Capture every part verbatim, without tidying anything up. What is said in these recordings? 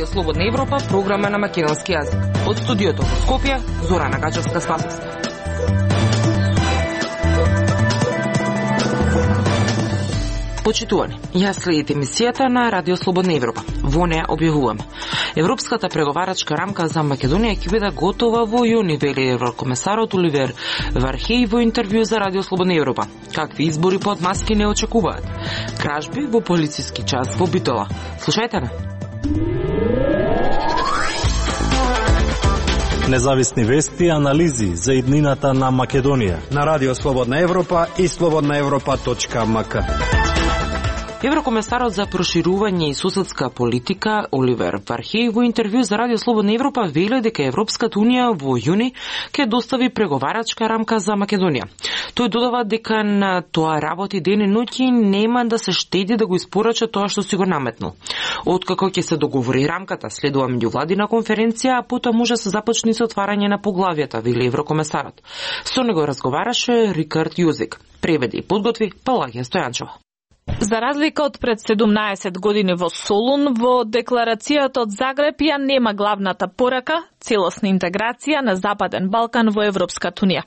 Радио Слободна Европа, програма на македонски јазик. Од студиото во Скопје, Зорана Гаџевска-Спасовска. Почитувани, јас следите емисијата на Радио Слободна Европа. Во неја објавуваме. Европската преговарачка рамка за Македонија ќе биде готова во јуни, вели еврокомесарот Оливер Вархеј во интервју за Радио Слободна Европа. Какви избори под маски не очекуваат? Кражби во полициски час во Битола. Слушајте ме. Независни вести и анализи за иднината на Македонија на Радио Слободна Европа и слободна европа точка ем ка. Еврокомесарот за проширување и соседска политика Оливер Вархеј во интервју за Радио Слободна Европа вели дека Европската унија во јуни ќе достави преговарачка рамка за Македонија. Тој додава дека на тоа работи ден и ноќ и нема да се штеди да го испорача тоа што си го наметнал. Откако ќе се договори рамката, следува меѓувладина конференција, а потоа може да се започне со отварање на поглавјата, вели еврокомесарот. Со него разговараше Рикард Јузик. Преведи и подготви Палагија Стојанчова. За разлика од пред седумнаесет години во Солун, во декларацијата од Загреб ја нема главната порака целосна интеграција на Западен Балкан во Европската унија.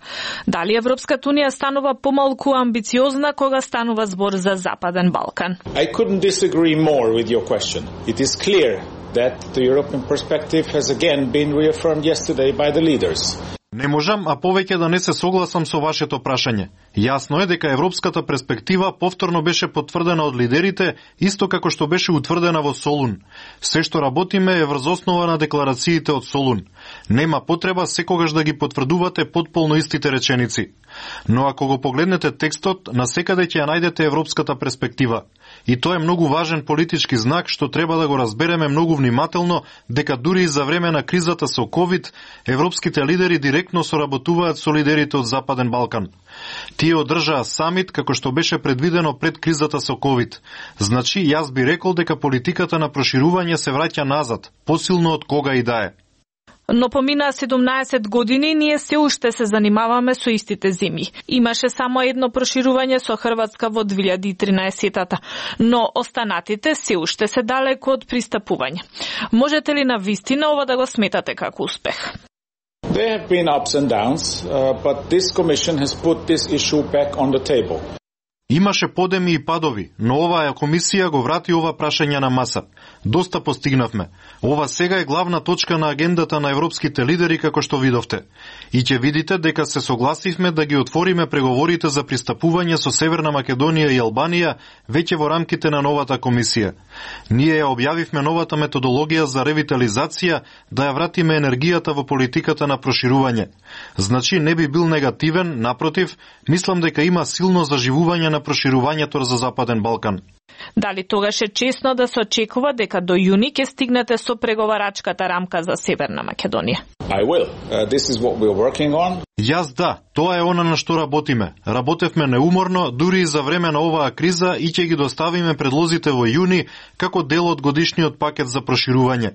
Дали Европската унија станува помалку амбициозна кога станува збор за Западен Балкан? I couldn't disagree more with your question. It is clear that the European perspective has again been reaffirmed yesterday by the leaders. Не можам, а повеќе да не се согласам со вашето прашање. Јасно е дека европската перспектива повторно беше потврдена од лидерите, исто како што беше утврдена во Солун. Се што работиме е врз основа на декларациите од Солун. Нема потреба секогаш да ги потврдувате потполно истите реченици. Но ако го погледнете текстот, насекаде ќе ја најдете европската перспектива. И тоа е многу важен политички знак што треба да го разбереме многу внимателно, дека дури и за време на кризата со ковид, европските лидери директно соработуваат со лидерите од Западен Балкан. Тие одржаа самит како што беше предвидено пред кризата со ковид. Значи, јас би рекол дека политиката на проширување се враќа назад, посилно од кога и да е. Но поминаа седумнаесет години, ние се уште се занимаваме со истите земји. Имаше само едно проширување со Хрватска во две илјади и тринаесетта, но останатите се уште се далеко од пристапување. Можете ли на вистина ова да го сметате како успех? There have been ups and downs, uh, but this commission has put this issue back on the table. Имаше подеми и падови, но оваа комисија го врати ова прашање на маса. Доста постигнавме. Ова сега е главна точка на агендата на европските лидери, како што видовте. И ќе видите дека се согласивме да ги отвориме преговорите за пристапување со Северна Македонија и Албанија веќе во рамките на новата комисија. Ние ја објавивме новата методологија за ревитализација, да ја вратиме енергијата во политиката на проширување. Значи не би бил негативен, напротив, мислам дека има силно заживување на проширувањето за Западен Балкан. Дали тогаш е чесно да се очекува дека до јуни ќе стигнете со преговарачката рамка за Северна Македонија? I will. Uh, this is what we're working on. Јас да, тоа е она на што работиме. Работевме неуморно, дури и за време на оваа криза и ќе ги доставиме предлозите во јуни како дел од годишниот пакет за проширување.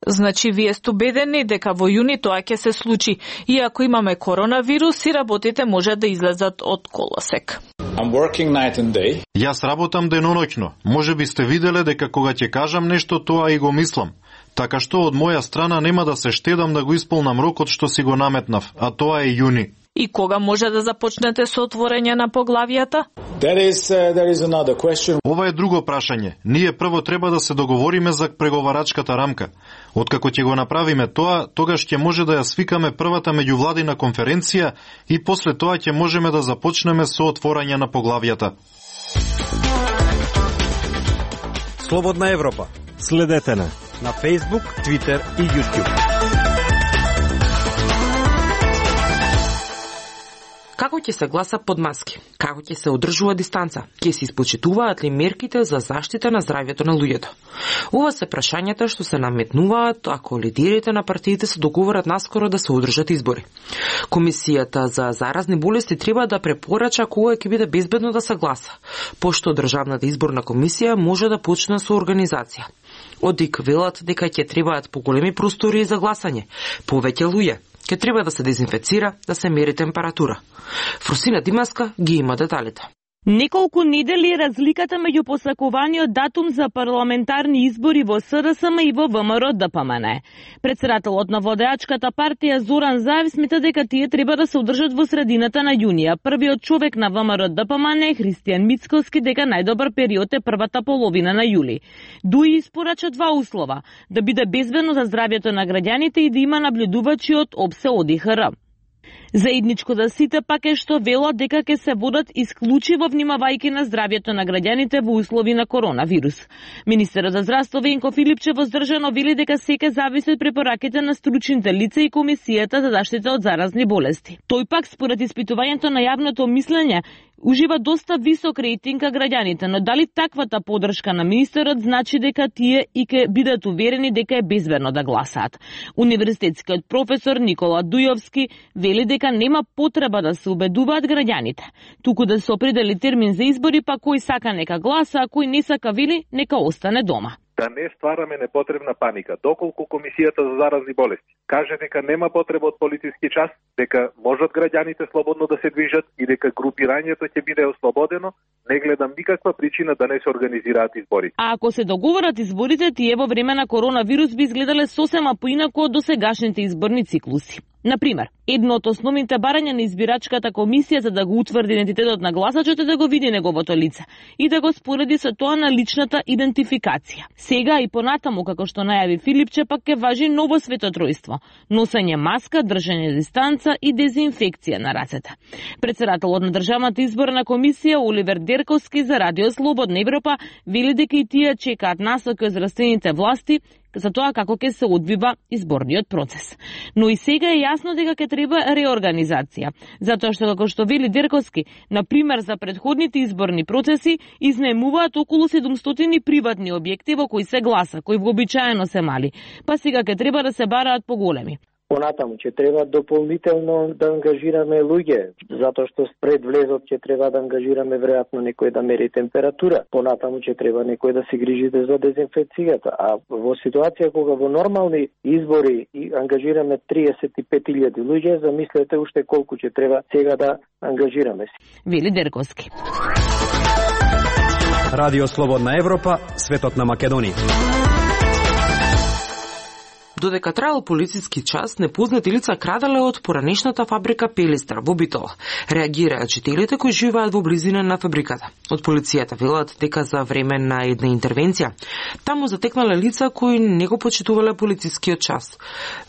Значи, вие сте убедени дека во јуни тоа ќе се случи, и ако имаме коронавирус и работите може да излезат од колосек. I'm working night and day. Јас работам деноноќно. Може би сте виделе дека кога ќе кажам нешто, тоа и го мислам. Така што од моја страна нема да се штедам да го исполнам рокот што си го наметнав, а тоа е јуни. И кога може да започнете со отворање на поглавјата? That is, uh, that is another question. Ова е друго прашање. Ние прво треба да се договориме за преговарачката рамка. Откако ќе го направиме тоа, тогаш ќе може да ја свикаме првата меѓувладина конференција и после тоа ќе можеме да започнеме со отворање на поглавјата. Слободна Европа. Следете на на Facebook, Twitter и YouTube. Како ќе се гласа под маски? Како ќе се одржува дистанца? Ќе се испочитуваат ли мерките за заштита на здравјето на луѓето? Ова се прашањата што се наметнуваат ако лидерите на партиите се договорат наскоро да се одржат избори. Комисијата за заразни болести треба да препорача кога ќе биде безбедно да се гласа, пошто Државната изборна комисија може да почне со организација. Од ДИК велат дека ќе требаат поголеми простори за гласање, повеќе луѓе, ќе треба да се дезинфецира, да се мери температура. Фрусина Димаска ги има деталите. Неколку недели е разликата меѓу посакуваниот датум за парламентарни избори во СДСМ и во ВМРО-ДПМН. Председателот на водеачката партија Зоран Заев смета дека тие треба да се одржат во средината на јунија. Првиот човек на ВМРО-ДПМН е Христијан Мицкоски дека најдобар период е првата половина на јули. Дуи испорача два услова: да биде безбедно за здравјето на граѓаните и да има наблюдувачи од ОПСЕ ОДИХР. Заедничко за сите пак е што велат дека ќе се водат исклучиво внимавајќи на здравјето на граѓаните во услови на коронавирус. Министерот за здравство Венко Филипче воздржано вели дека секој зависи од препораките на стручните лица и Комисијата за заштита од заразни болести. Тој пак според испитувањето на јавното мислење ужива доста висок рейтинг кај граѓаните, но дали таквата поддршка на министерот значи дека тие и ќе бидат уверени дека е безбедно да гласаат? Универзитетскиот професор Никола Дујовски вели дека нема потреба да се убедуваат граѓаните, туку да се определи термин за избори, па кој сака нека гласа, а кој не сака вели нека остане дома. Да не ствараме непотребна паника, доколку Комисијата за заразни болести каже дека нема потреба од полициски час, дека можат граѓаните слободно да се движат и дека групирањето ќе биде ослободено, не гледам никаква причина да не се организираат избори. А ако се договорат изборите, тие во време на коронавирус би изгледале сосема поинаку од досегашните изборни циклуси. Например, едно од основните барања на избирачката комисија за да го утврди идентитетот на гласачот е да го види неговото лице и да го спореди со тоа на личната идентификација. Сега и понатаму, како што најави Филипче, пак ќе важи ново светотројство: носење маска, држање дистанца и дезинфекција на рацете. Председателот на Државната изборна комисија Оливер Дерковски за Радио Слободна Европа вели дека и тие чекаат насоки од здравствените власти за тоа како ќе се одвива изборниот процес. Но и сега е јасно дека ќе треба реорганизација, затоа што, како што вели Дерковски, на пример за претходните изборни процеси изнаемуваат околу седумстотини приватни објекти во кои се гласа, кои вообичаено се мали, па сега ќе треба да се бараат поголеми. Понатаму ќе треба дополнително да ангажираме луѓе, затоа што пред влезот ќе треба да ангажираме веројатно некој да мери температура. Понатаму ќе треба некој да се грижи за дезинфекцијата. А во ситуација кога во нормални избори и ангажираме триесет и пет илјади луѓе, замислете уште колку ќе треба сега да ангажираме се. Вели Дерковски. Радио Слободна Европа, светот на Македонија. Додека траел полициски час, непознати лица крадале од поранешната фабрика Пелистер во Битола. Реагираат жителите кои живеат во близина на фабриката. Од полицијата велат дека за време на една интервенција таму затекнале лица кои не го почитувале полицискиот час,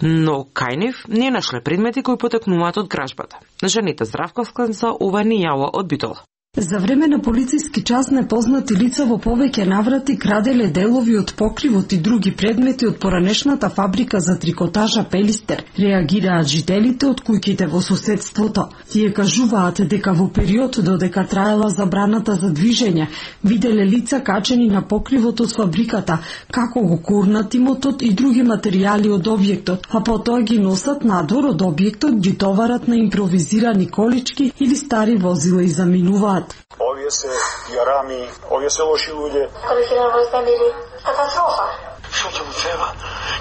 но кај нив не нашле предмети кои потекнуваат од кражбата. Жанета Здравковска за ова ни јава од Битола. За време на полициски час непознати лица во повеќе наврати краделе делови од покривот и други предмети од поранешната фабрика за трикотажа Пелистер. Реагираат жителите од куќите во соседството. Тие кажуваат дека во период додека траела забраната за движење, виделе лица качени на покривот од фабриката, како го курнат имотот и други материјали од објектот, а потоа ги носат надвор од објектот, ги товарат на импровизирани колички или стари возила и заминуваат. Овие се јарами, овие се лоши луѓе. Квалифиран вознемири. Катастрофа. Што ќе му треба?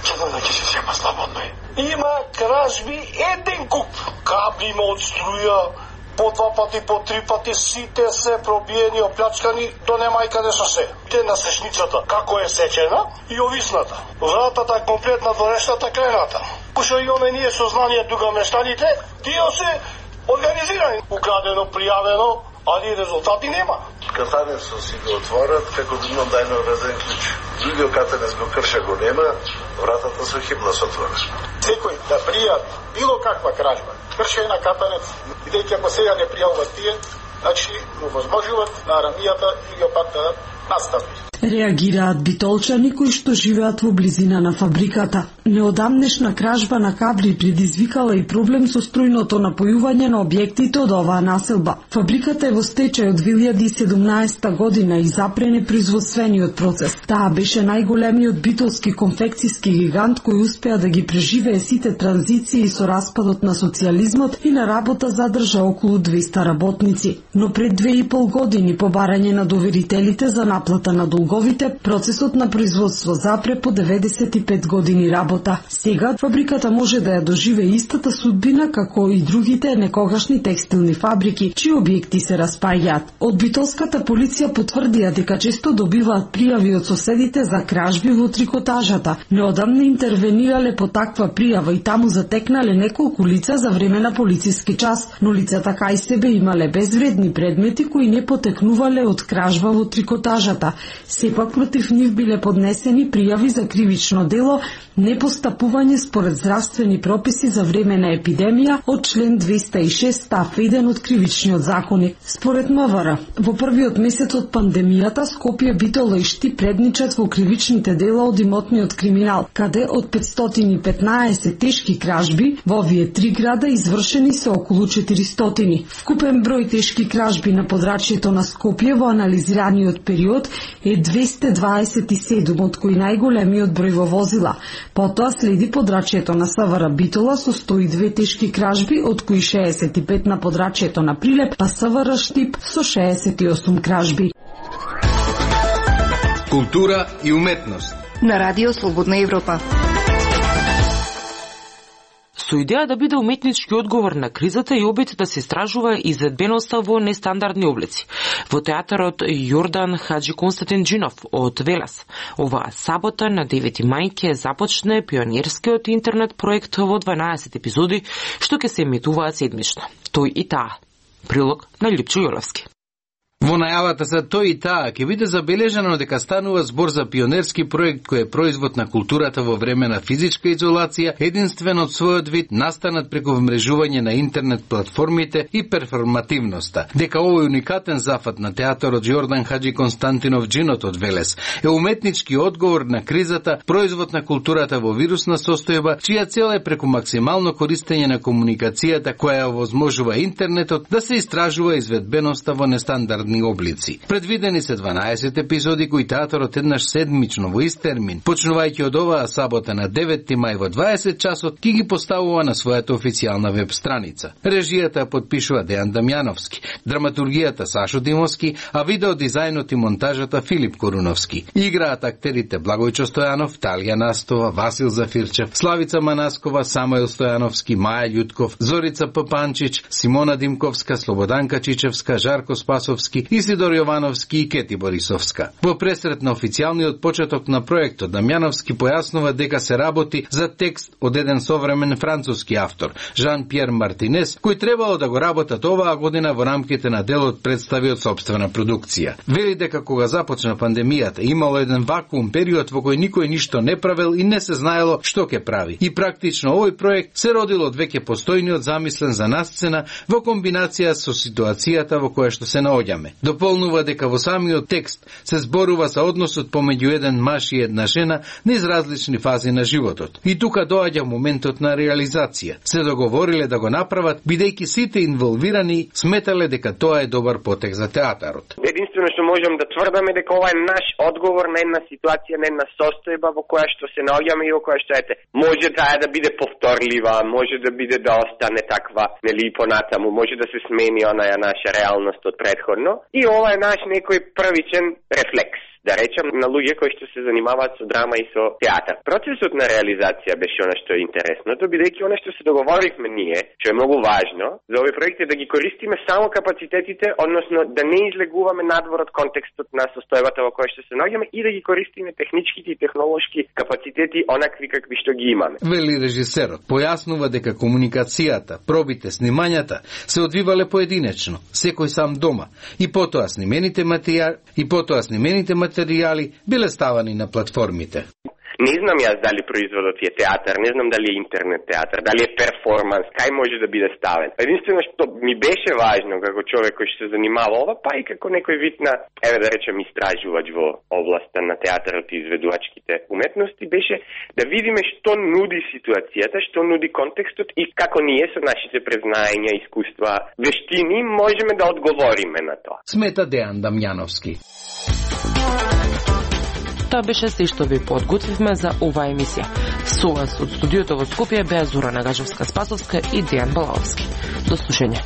Ќе да ќе се сема слободно е. Има кражби еден куп. Кабли има од струја, по два пати, по три пати, сите се пробиени, оплячкани, до нема и каде со се. Те на сечницата, како е сечена и овисната. Вратата комплетна, дворешната, крената. Кошо имаме ние сознание тука мештаните, тие се организирани. Украдено, пријавено, али резултати нема. Катанецот си го отворат, како да имам дајно врезен клjuč. Другиот катанец го крша, го нема, вратата со хибла се отвора. Секој да пријави било каква кражба, кршење на катанец, бидејќи ако сега не пријавуваат тие, значи му возможуваат на арамијата и го пат да настави. Реагираат битолчани кои што живеат во близина на фабриката. Неодамнешна кражба на кабли предизвикала и проблем со струјното напојување на објектите од оваа населба. Фабриката е во стечај од две илјади и седумнаесета година и запрене производствениот процес. Таа беше најголемиот битолски конфекцијски гигант кој успеа да ги преживее сите транзиции со распадот на социјализмот и на работа задржа околу двеста работници. Но пред две и пол години по барање на доверителите за наплата на долгов неговите, процесот на производство запре по деветдесет и пет години работа. Сега фабриката може да ја доживее истата судбина како и другите некогашни текстилни фабрики, чии објекти се распаѓаат. Од битолската полиција потврдија дека често добиваат пријави од соседите за кражби во трикотажата. Неодамна интервенирале по таква пријава и таму затекнале неколку лица за време на полициски час, но лицата кај себе имале безвредни предмети кои не потекнувале од кражба во трикотажата. Сепак против нив биле поднесени пријави за кривично дело, непостапување според здравствени прописи за време на епидемија од член двеста и шест став еден од кривичниот законник. Според МВР, во првиот месец од пандемијата Скопје, Битола и Штип предничат во кривичните дела од имотниот криминал, каде од петстотини и петнаесет тешки кражби во овие три града извршени се околу четиристотини. Вкупен број тешки кражби на подрачјето на Скопје во анализираниот период е двесте дваесет и седум, од кои најголемиот број во возила. Потоа следи подрачјето на СВР Битола со сто и две тешки кражби, од кои шеесет и пет на подрачјето на Прилеп, па СВР Штип со шеесет и осум кражби. Култура и уметност на Радио Слободна Европа. Со идеја да биде уметнички одговор на кризата и обид да се истражува изvedbeноста во нестандардни облици. Во театарот Јордан Хаџиконстантинџинов од Велес. Оваа сабота на девети мај ќе започне пионерскиот интернет проект во дванаесет епизоди, што ќе се емитуваат седмично. Тој и таа. Прилог на Липчо Јолевски. Во најавата за тој и таа ќе биде забележано дека станува збор за пионерски проект кој е производ на културата во време на физичка изолација, единствен од својот вид, настанат преку вмрежување на интернет платформите и перформативноста. Дека овој уникатен зафат на театарот Јордан Хаџиконстантинов Джинот од Велес е уметнички одговор на кризата, производ на културата во вирусна состојба, чија цел е преку максимално користење на комуникацијата која овозможува интернетот да се истражува изведбеноста во нестандардни облици. Предвидени се дванаесет епизоди кои театарот еднаш седмично во ист термин, почнувајќи од оваа сабота на деветти мај во дваесет часот, ќе ги поставува на својата официјална веб страница. Режијата подпишува Дејан Дамјановски, драматургијата Сашо Димовски, а видеодизајнот и монтажата Филип Коруновски. Играат актерите Благојчо Стојанов, Талија Настова, Васил Зафирчев, Славица Манаскова, Самуел Стојановски, Маја Љутков, Зорица Папанчич, Симона Димковска, Слободанка Чичевска, Жарко Спасовски, Исидор Јовановски и Кети Борисовска. Во пресрет на официјалниот почеток на проектот, Дамјановски појаснува дека се работи за текст од еден современ француски автор, Жан-Пьер Мартинес, кој требало да го работат оваа година во рамките на делот представи од собствена продукција. Вели дека кога започна пандемијата, имало еден вакуум период во кој никој ништо не правел и не се знаело што ќе прави. И практично овој проект се родил од веќе постојниот замислен за насцена во комбинација со ситуацијата во која што се наоѓаме. Дополнува дека во самиот текст се зборува за односот помеѓу еден маж и една жена низ различни фази на животот. И тука доаѓа моментот на реализација. Се договориле да го направат, бидејќи сите инволвирани сметале дека тоа е добар потек за театарот. Единствено што можам да тврдаме дека ова е наш одговор на една ситуација, на една состојба во која што се наоѓаме и во која што ете, може таа да биде повторлива, може да биде да остане таква, нели понатаму, може да се смени онаја наша реалност од предходно. И ова е наш некој првичен рефлекс, да речем, на луѓе кои што се занимаваат со драма и со театар. Процесот на реализација беше она што е интересното, бидејќи она што се договоривме ние, што е многу важно за овој проект е да ги користиме само капацитетите, односно да не излегуваме надвор од контекстот на состојбата во која што се наоѓаме и да ги користиме техничките и технолошки капацитети онакви какви што ги имаме. Вели режисерот, појаснува дека комуникацијата, пробите, снимањата се одвивале поединечно, секој сам дома, и потоа снимените материјали, и потоа снимените материјали материјали биле ставани на платформите. Не знам јас дали производот е театар, не знам дали е интернет театар, дали е перформанс, кај може да биде ставен. Единствено што ми беше важно како човек кој што се занимава ова, па и како некој вид на, еве да речем, истражувач во областа на театарот и изведувачките уметности, беше да видиме што нуди ситуацијата, што нуди контекстот и како ние со нашите презнаења, искуства, вештини можеме да одговориме на тоа. Смета Дејан Дамјановски. Тоа беше се што ви подготвивме за оваа емисија. Со вас од студиото во Скопје беа Зорана Гажевска-Спасовска и Дејан Балаовски. До слушање.